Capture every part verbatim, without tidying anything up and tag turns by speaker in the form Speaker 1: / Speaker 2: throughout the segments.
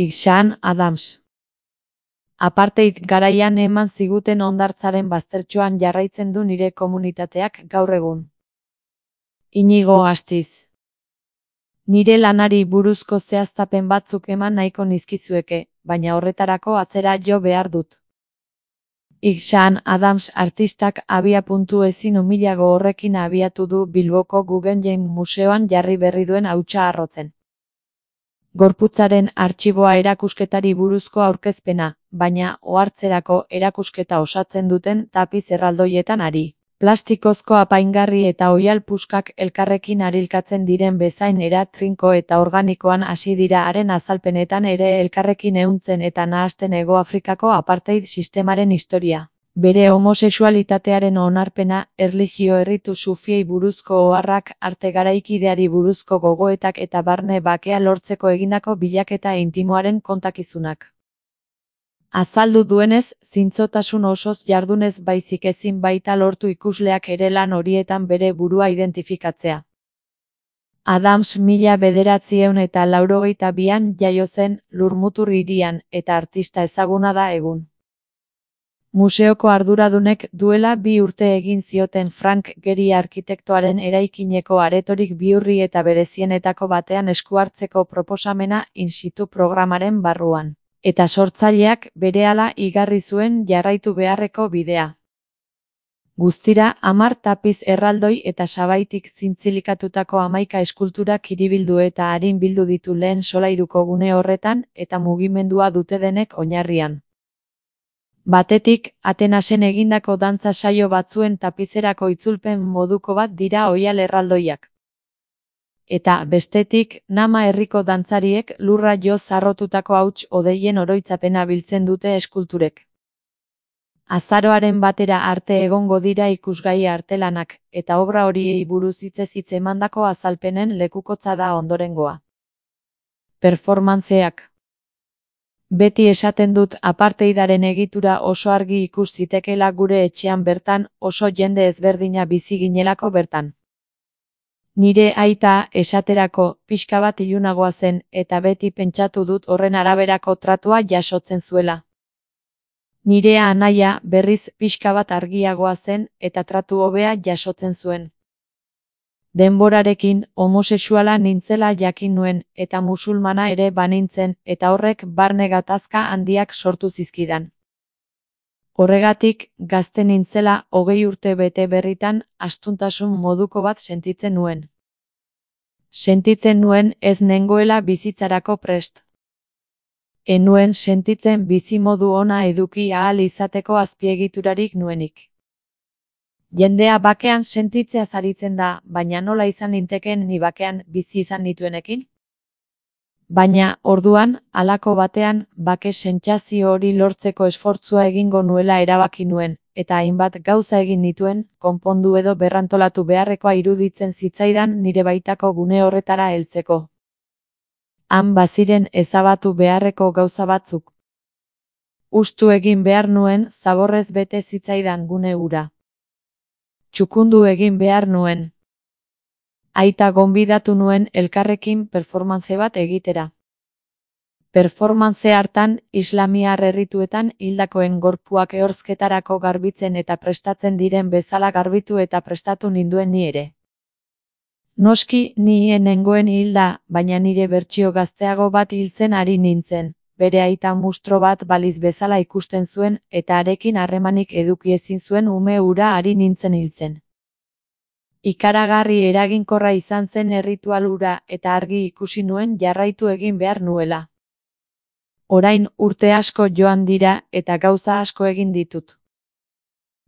Speaker 1: Ixan Adams. Apartheid garaian eman ziguten hondartzaren baztertxoan jarraitzen du nire komunitateak gaur egun. Inigo Astiz. Nire lanari buruzko zehaztapen batzuk eman nahiko nizkizueke, baina horretarako atzera jo behar dut. Ixan Adams artistak abia-puntu ezin umilago horrekin abiatu du Bilboko Guggenheim Museoan jarri berri duen hautsa harrotzen. Gorputzaren artxiboa erakusketari buruzko aurkezpena, baina ohartzerako erakusketa osatzen duten tapiz erraldoietan ari. Plastikozko apaingarri eta oihal puskak elkarrekin arilkatzen diren bezain era trinko eta organikoan hasi dira haren azalpenetan ere elkarrekin ehuntzen eta nahasten Hego Afrikako apartheid sistemaren historia. Bere homosexualitatearen onarpena, erlijio erritu sufiei buruzko oharrak, arte garaikideari buruzko gogoetak eta barne bakea lortzeko egindako bilaketa intimoaren kontakizunak. Azaldu duenez, zintzotasun osoz jardunez baizik ezin baita lortu ikusleak ere lan horietan bere burua identifikatzea. Adams mila bederatziehun eta laurogeita bian jaio zen Lurmutur hirian, eta artista ezaguna da egun. Museoko arduradunek duela bi urte egin zioten Frank Gehry arkitektoaren eraikineko aretorik bihurri eta berezienetako batean esku hartzeko proposamena in situ programaren barruan. Eta sortzaileak berehala igarri zuen jarraitu beharreko bidea. Guztira, hamar tapiz erraldoi eta sabaitik zintzilikatutako hamaika eskultura kiribildu eta arin bildu ditu lehen solairuko gune horretan eta mugimendua dute denek oinarrian. Batetik, Atenasen egindako dantza saio batzuen tapizerako itzulpen moduko bat dira oihal erraldoiak. Eta, bestetik, Nama herriko dantzariek lurra jo zarrotutako hauts odeien oroitzapena biltzen dute eskulturek. Azaroaren batera arte egongo dira ikusgai artelanak, eta obra horiei buruz hitzez hitz emandako azalpenen lekukotza da ondorengoa. Performantzeak. Beti esaten dut apartheidaren egitura oso argi ikus zitekela gure etxean bertan, oso jende ezberdina bizi ginelako bertan. Nire aita, esaterako, pixka bat ilunagoa zen, eta beti pentsatu dut horren araberako tratua jasotzen zuela. Nire anaia, berriz, pixka bat argiagoa zen, eta tratu hobea jasotzen zuen. Denborarekin, homosexuala nintzela jakin nuen, eta musulmana ere banintzen, eta horrek barne gatazka handiak sortu zizkidan. Horregatik, gazte nintzela, hogei urte bete berritan, astuntasun moduko bat sentitzen nuen. Sentitzen nuen ez nengoela bizitzarako prest. Enuen sentitzen bizimodu ona eduki ahal izateko azpiegiturarik nuenik. Jendea bakean sentitzea zaritzen da, baina nola izan ninteken ni bakean bizi izan nituenekin? Baina, orduan, halako batean, bake sentsazio hori lortzeko esfortzua egingo nuela erabaki nuen, eta hainbat gauza egin nituen, konpondu edo berrantolatu beharrekoa iruditzen zitzaidan nire baitako gune horretara heltzeko. Han baziren ezabatu beharreko gauza batzuk. Hustu egin behar nuen, zaborrez bete zitzaidan gune hura. Txukundu egin behar nuen. Aita gonbidatu nuen elkarrekin performance bat egitera. Performance hartan, islamiar errituetan hildakoen gorpuak ehorzketarako garbitzen eta prestatzen diren bezala garbitu eta prestatu ninduen ni ere. Noski, ni nengoen hilda, baina nire bertsio gazteago bat hiltzen ari nintzen, bere aita mustro bat baliz bezala ikusten zuen, eta harekin harremanik eduki ezin zuen ume hura ari nintzen hiltzen. Ikaragarri eraginkorra izan zen erritual hura eta argi ikusi nuen jarraitu egin behar nuela. Orain urte asko joan dira eta gauza asko egin ditut.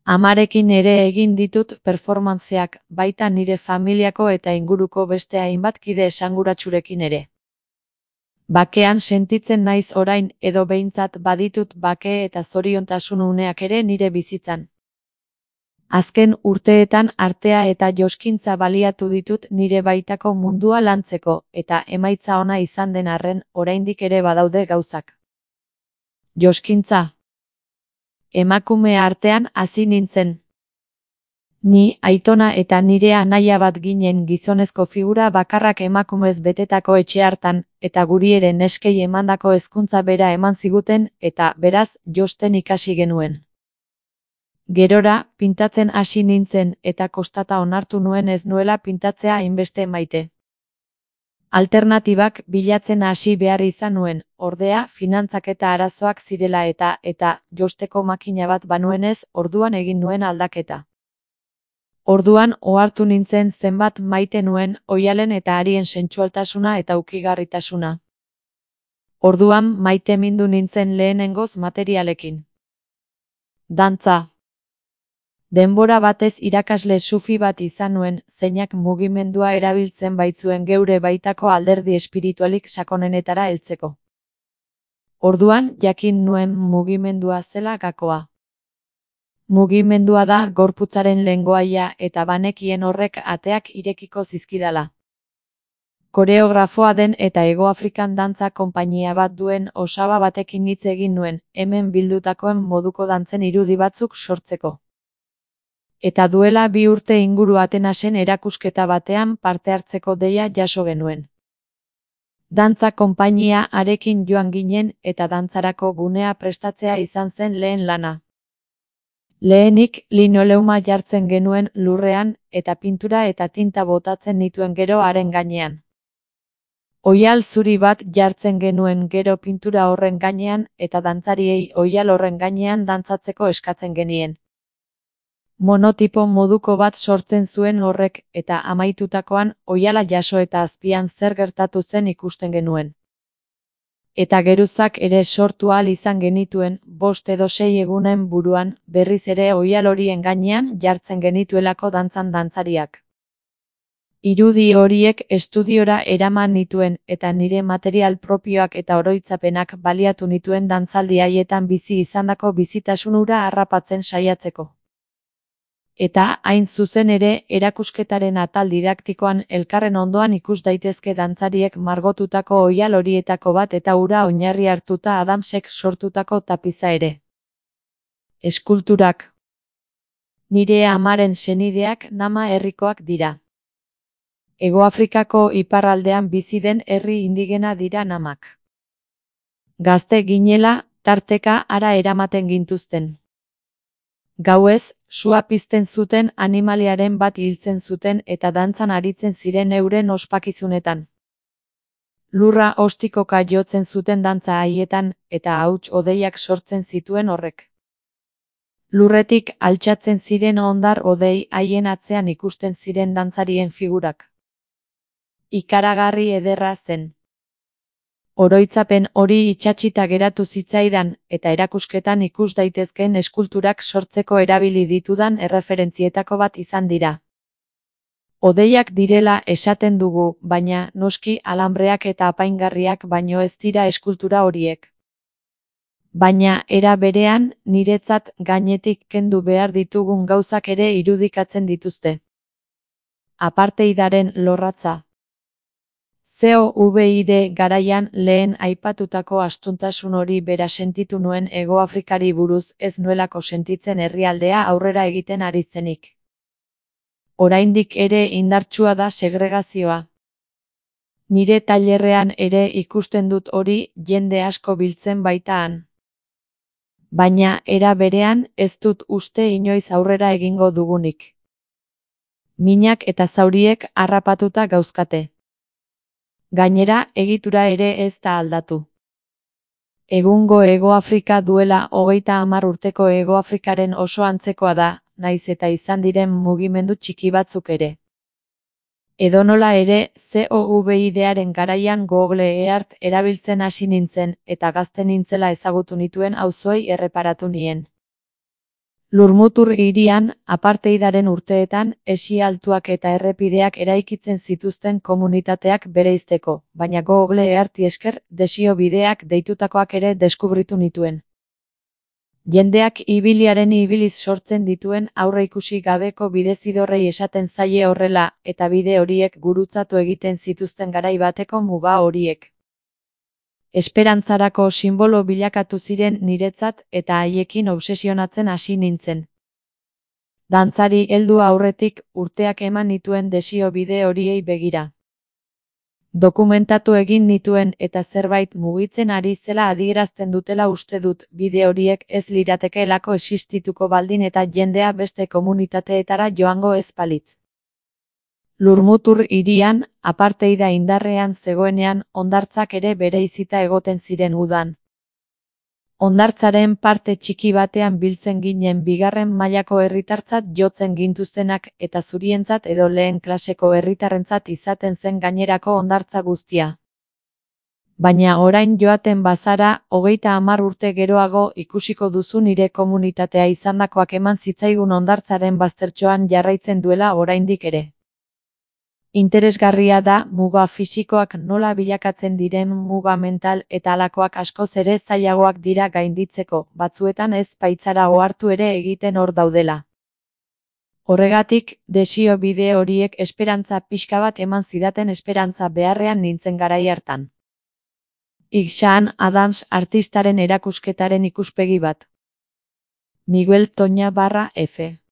Speaker 1: Amarekin ere egin ditut performantzeak, baita nire familiako eta inguruko beste hainbat kide esanguratsurekin ere. Bakean sentitzen naiz orain edo behintzat baditut bake eta zoriontasun uneak ere nire bizitzan. Azken urteetan artea eta joskintza baliatu ditut nire baitako mundua lantzeko, eta emaitza ona izan den arren, oraindik ere badaude gauzak. Joskintza. Emakume artean hasi nintzen. Ni, aitona eta nire anaia bat ginen gizonezko figura bakarrak emakumez betetako etxe hartan, eta guri ere neskei emandako hezkuntza bera eman ziguten, eta, beraz, josten ikasi genuen. Gerora, pintatzen hasi nintzen, eta kostata onartu nuen ez nuela pintatzea hainbeste maite. Alternatibak bilatzen hasi behar izan nuen, ordea, finantzak eta arazoak zirela eta, eta, josteko makina bat banuenez, orduan egin nuen aldaketa. Orduan ohartu nintzen zenbat maite nuen oihalen eta harien sentsualtasuna eta ukigarritasuna. Orduan maite mindu nintzen lehenengoz materialekin. Dantza. Denbora batez irakasle sufi bat izan nuen, zeinak mugimendua erabiltzen baitzuen geure baitako alderdi espiritualik sakonenetara heltzeko. Orduan jakin nuen mugimendua zela gakoa. Mugimendua da gorputzaren lengoaia eta banekien horrek ateak irekiko zizkidala. Koreografoa den eta Hegoafrikan dantza konpainia bat duen osaba batekin hitz egin nuen, hemen bildutakoen moduko dantzen irudi batzuk sortzeko. Eta duela bi urte inguru Atenasen erakusketa batean parte hartzeko deia jaso genuen. Dantza konpainia harekin joan ginen eta dantzarako gunea prestatzea izan zen lehen lana. Lehenik, linoleuma jartzen genuen lurrean, eta pintura eta tinta botatzen nituen gero haren gainean. Oihal zuri bat jartzen genuen gero pintura horren gainean, eta dantzariei oihal horren gainean dantzatzeko eskatzen genien. Monotipo moduko bat sortzen zuen horrek, eta amaitutakoan, oihala jaso eta azpian zer gertatu zen ikusten genuen. Eta geruzak ere sortu ahal izan genituen, bost edo sei egunen buruan, berriz ere oihal horien gainean jartzen genituelako dantzan dantzariak. Irudi horiek estudiora eraman nituen, eta nire material propioak eta oroitzapenak baliatu nituen dantzaldi haietan bizi izandako bizitasun hura harrapatzen saiatzeko. Eta, hain zuzen ere, erakusketaren atal didaktikoan elkarren ondoan ikus daitezke dantzariek margotutako oihal horietako bat eta hura oinarri hartuta Adamsek sortutako tapiza ere. Eskulturak. Nire amaren senideak Nama herrikoak dira. Hegoafrikako iparraldean bizi den herri indigena dira Namak. Gazte ginela, tarteka hara eramaten gintuzten. Gauez, sua pizten zuten animaliaren bat hiltzen zuten eta dantzan aritzen ziren euren ospakizunetan. Lurra ostikoka jotzen zuten dantza haietan, eta hauts hodeiak sortzen zituen horrek. Lurretik altxatzen ziren hondar hodei haien atzean ikusten ziren dantzarien figurak. Ikaragarri ederra zen. Oroitzapen hori itsatsita geratu zitzaidan, eta erakusketan ikus daitezkeen eskulturak sortzeko erabili ditudan erreferentzietako bat izan dira. Hodeiak direla esaten dugu, baina noski alambreak eta apaingarriak baino ez dira eskultura horiek. Baina era berean, niretzat gainetik kendu behar ditugun gauzak ere irudikatzen dituzte. Apartheidaren lorratza. COVID garaian lehen aipatutako astuntasun hori bera sentitu nuen Hegoafrikari buruz ez nuelako sentitzen herrialdea aurrera egiten ari zenik. Oraindik ere indartsua da segregazioa. Nire tailerrean ere ikusten dut hori jende asko biltzen baitaan. Baina era berean ez dut uste inoiz aurrera egingo dugunik. Minak eta zauriek harrapatuta gauzkate. Gainera, egitura ere ez da aldatu. Egungo Hegoafrika duela hogeita hamar urteko Hegoafrikaren oso antzekoa da, nahiz eta izan diren mugimendu txiki batzuk ere. Edonola ere, COVIDaren garaian Google Earth erabiltzen hasi nintzen, eta gazte nintzela ezagutu nituen auzoei erreparatu nien. Lurmutur hirian, apartheidaren urteetan, esi altuak eta errepideak eraikitzen zituzten komunitateak bereizteko, baina Google Earthi esker, desio bideak deitutakoak ere deskubritu nituen. Jendeak ibiliaren ibiliz sortzen dituen aurreikusi gabeko bidezidorrei esaten zaie horrela, eta bide horiek gurutzatu egiten zituzten garai bateko muga horiek. Esperantzarako sinbolo bilakatu ziren niretzat eta haiekin obsesionatzen hasi nintzen. Dantzari heldu aurretik urteak eman nituen desio bide horiei begira. Dokumentatu egin nituen eta zerbait mugitzen ari zela adierazten dutela uste dut, bide horiek ez liratekeelako existituko baldin eta jendea beste komunitateetara joango ez balitz. Lurmutur hirian, apartheida indarrean zegoenean, hondartzak ere bereizita egoten ziren udan. Hondartzaren parte txiki batean biltzen ginen bigarren mailako herritartzat jotzen gintuztenak eta zurientzat edo lehen klaseko herritarrentzat izaten zen gainerako hondartza guztia. Baina orain joaten bazara, hogeita hamar urte geroago ikusiko duzu nire komunitatea izandakoak eman zitzaigun hondartzaren baztertxoan jarraitzen duela oraindik ere. Interesgarria da muga fisikoak nola bilakatzen diren muga mental eta halakoak askoz ere zailagoak dira gainditzeko, batzuetan ez baitzara ohartu ere egiten hor daudela. Horregatik, desio bide horiek esperantza pixka bat eman zidaten esperantza beharrean nintzen garai hartan. Ixaan Adams artistaren erakusketaren ikuspegi bat. Miguel Toña barra F.